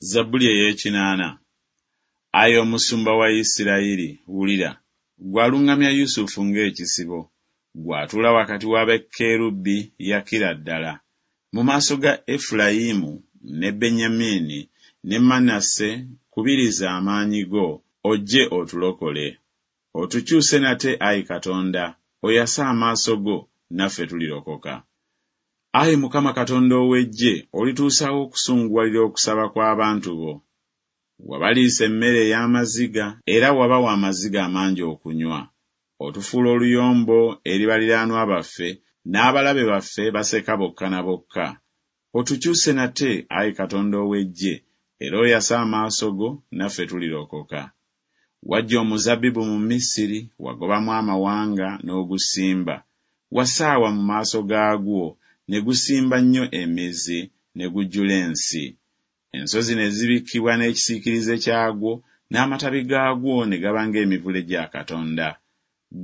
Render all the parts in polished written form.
Zabbuli ey'ekinaana. Ayi Omusumba wa Isirayiri, wulira, Ggwe aluŋŋamya Yusufu ng'ekisibo, Ggwe atuula wakati wa bakerubi, yakira ddala. Mu maaso ga Efulayimu ne Benyamini ne Manase kubiriza amaanyi go, ojje otulokole. Otukyuse nate, ayi Katonda, oyase amaaso go, naffe tulirokoka. Ayi Mukama Katonda ow'eggye, olituusa wa okusunguwalira okusaba kw'abantu bo? Wabaliisa emmere ey'amaziga, era wabawa amaziga amangi okunywa. Otufuula oluyombo eri baliraanwa baffe, n'abalabe baffe baseka bokka na bokka. Otukyuse nate, ayi Katonda ow'eggye, era oyase amaaso go, naffe tulirokoka. Waggya omuzabbibu mu Misiri, wagobamu amawanga, n'ogusimba. Wasaawa mu maaso gaagwo, ne gusimba nnyo emizi, ne gujjula ensi. Ensozi ne zibikkibwa n'ekisiikirize kyagwo, n'amatabi gaagwo ne gaba ng'emivule gya Katonda.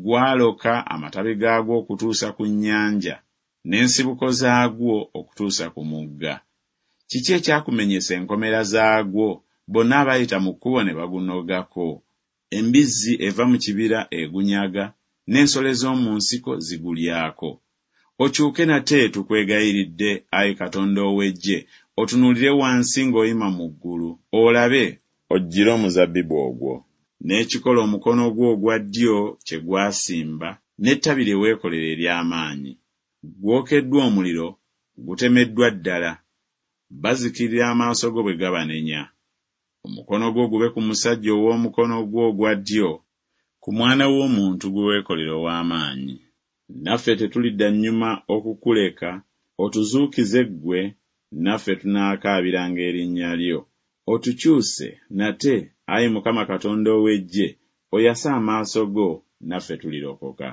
Gwaloka amatabi gaagwo okutuusa ku nnyanja, n'ensibuko zaagwo okutuusa ku mugga. Kiki ekyakumenyesa enkomera zaagwo, bonna abayita mu kkubo ne bagunogako? Embizzi eva mu kibira egunyaga, n'ensolo ez'omu nsiko zigulyako. Okyuke nate, tukwegayiridde, ayi Katonda ow'eggye, otunuulire wansi ng'oyima mu ggulu, olabe, ojjire omuzabbibu ogwo, n'ekikolo omukono gwo ogwa ddyo kye gwasimba, n'ettabi lye weekolera ery'amaanyi. Gwokeddwa omuliro, gutemeddwa ddala, bazikirira amaaso go bwe gabanenya. Omukono gwo gube ku musajja ow'omukono gwo ogwa ddyo, ku mwana w'omuntu gwe weekolera ow'amaanyi. Naffe tetulidda nnyuma okukuleka, otuzuukize ggwe, naffe tunaakaabiranga erinnya lyo. Otukyuse nate, ayi Mukama Katonda ow'eggye, oyase amaaso go, naffe tulirokoka.